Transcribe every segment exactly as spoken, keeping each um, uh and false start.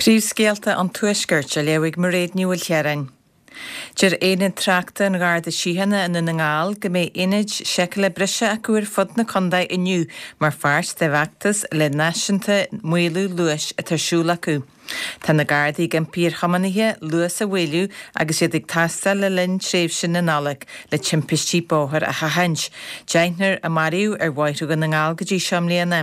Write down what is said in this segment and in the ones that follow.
Príomhscéalta an Tuaiscirt á léamh ag Mairéad Ní Mhaoilchiaráin. Deir Aonad Tráchta an Gharda Síochána i nDún na nGall go mbeidh aonaid seiceála breise acu ar fud na contae inniu mar pháirt de bhfeachtas lá náisiúnta maolú luais atá ar siúl acu. Tá na Gardaí ag impí ar thiománaithe luas a mhaolú agus iad ag taisteal le linn tréimhse na Nollag le timpistí bóthair a sheachaint. Deichniúr a maraíodh ar bhóithre Dhún na nGall go dtí seo i mbliana.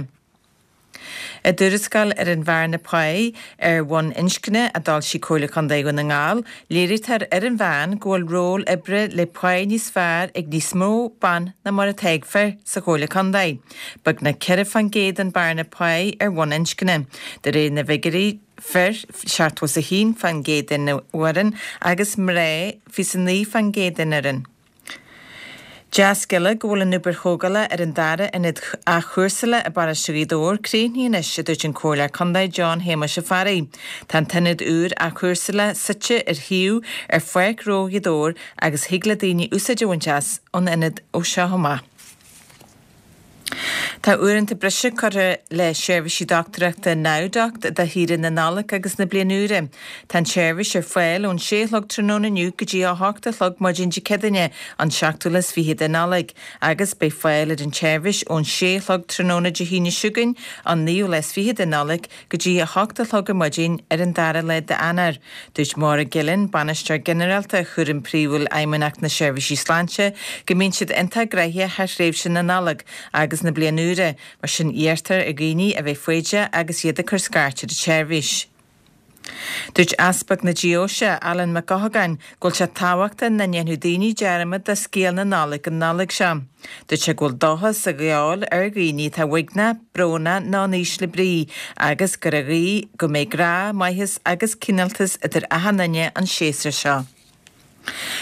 I dtuarascáil ar an bhearna páí ar bhonn inscne a d'fhoilsigh Comhairle Contae Dhún na nGall, léirítear ar an mheán go bhfuil ról oibre le pá níos fearr ag níos mó ban ná mar atá ag fir sa Chomhairle Contae. Beagnach ceithre faoin gcéad an bearna páí ar bhonn inscne. De réir na bhfigiúirí, fir seachtó is a haon faoin gcéad den fhoireann agus mná fiche is a naoi faoin gcéad den fhoireann. Dea-scéala go bhfuil an obair thógála ar an dara ionad athchúrsála i bparóiste Ghaoth Dobhair críochnaithe anois, a dúirt an Comhairleoir Contae John Shéamuis Ó Fearraigh. Tá an t-ionad úr athchúrsála suite ar shuíomh ar Pháirc Ghnó Ghaoth Dobhair agus thig le daoine úsáid a bhaint as an ionad ó seo amach. Tá uaireanta breise curtha le seirbhísí dochtúireachta NowDoc do shaoire na Nollag agus na Bliana Úire. Tá an tseirbhís ar fáil ón sé a chlog tráthnóna inniu go dtí a hocht a chlog maidin Dé Céadaoine, an seachtú lá is fiche de Nollaig, agus beidh fáil ar an tseirbhís ón sé a chlog tráthnóna Dé hAoine seo chugainn, an naoú lá is fiche de Nollaig, go dtí a hocht a chlog ar maidin ar an dara lá d'Eanáir. Dúirt Máire Gillen, Bainisteoir Ginearálta Chúram Príomhúil Fheidhmeannacht na Seirbhísí Sláinte, go mbíonn siad iontach gnoitheach thar thréimhse na Nollag agus na Bliana Úire, mar sin iarrtar ar dhaoine a bheith foighdeach agus iad ag cur scairt ar an tseirbhís. Dúirt Easpag na Deoise, Alan Mac Eochagáin, go bhfuil sé tábhachtach nach ndéanfadh daoine dearmad de scéal na Nollag an Nollaig seo. Dúirt sé go bhfuil dóchas ag gabháil ar dhaoine atá uaigneach, brónach nó in ísle brí agus gur a ghuí go mbeidh grá, maitheas agus cineáltas idir achan duine an séasúr seo.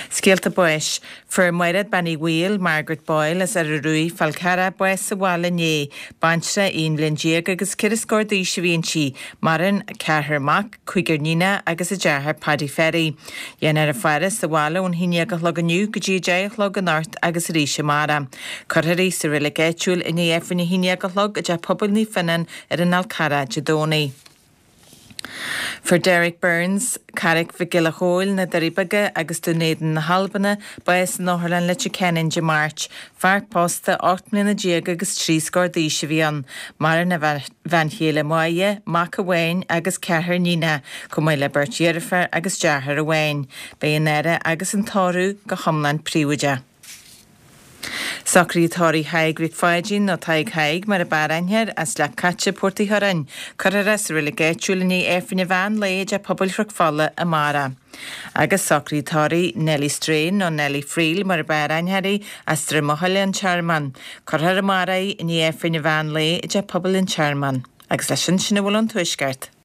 Scéalta báis. Fuair Mairéad Bean Uí Bhaoill, Margaret Boyle, as Earra Ruaidh, Fál Carrach, bás sa bhaile inné. Baintreach aon bhliain déag agus ceithre scór d'aois a bhí inti. Maireann ceathrar mac, cúigear níonach agus a deartháir Paddy Ferry. Déanfar a faire sa bhaile ón haon déag a chlog inniu go dtí a deich a chlog anocht agus arís amárach. Cuirfear í sa reilig áitiúil i ndiaidh Aifreann a haon déag a chlog i dTeach Pobail Naomh Fionnán ar an Fhál Carrach Dé Domhnaigh. Fuair Derek Burns, Carraig Mhic Giolla Chóill, na Doirí Beaga agus Dún Éideann na hAlbana, bás in Otharlann Leitir Ceanainn Dé Máirt. Fear pósta ocht mbliana déag agus trí scór d'aois a bhí ann. Maireann a bhean chéile Máire, mac amháin agus ceathrar níonach, chomh maith le beirt dheirféar agus deartháir amháin. Beidh an fhaire agus an tórramh go hiomlán príobháideach. Socruithe tórraimh Thaidhg Mhic Pháidín, nó Tadhg Thaidhg mar ab fhearr aithne air, as Leac Caite, Port Uí Churráin. Cuirfear é sa reilig áitiúil i ndiaidh Aifreann an mheán lae i dTeach Pobail Chnoc Fola amárach. Agus socruithe tórraimh Nellie Strain, nó Nellie Friel mar ab fhearr aithne uirthi, as Droim Eochaille, An Tearmann. Cuirfear amárach í i ndiaidh Aifreann an mheán lae i dTeach Pobail an Tearmann. Agus leis sin, sin a bhfuil ón Tuaisceart.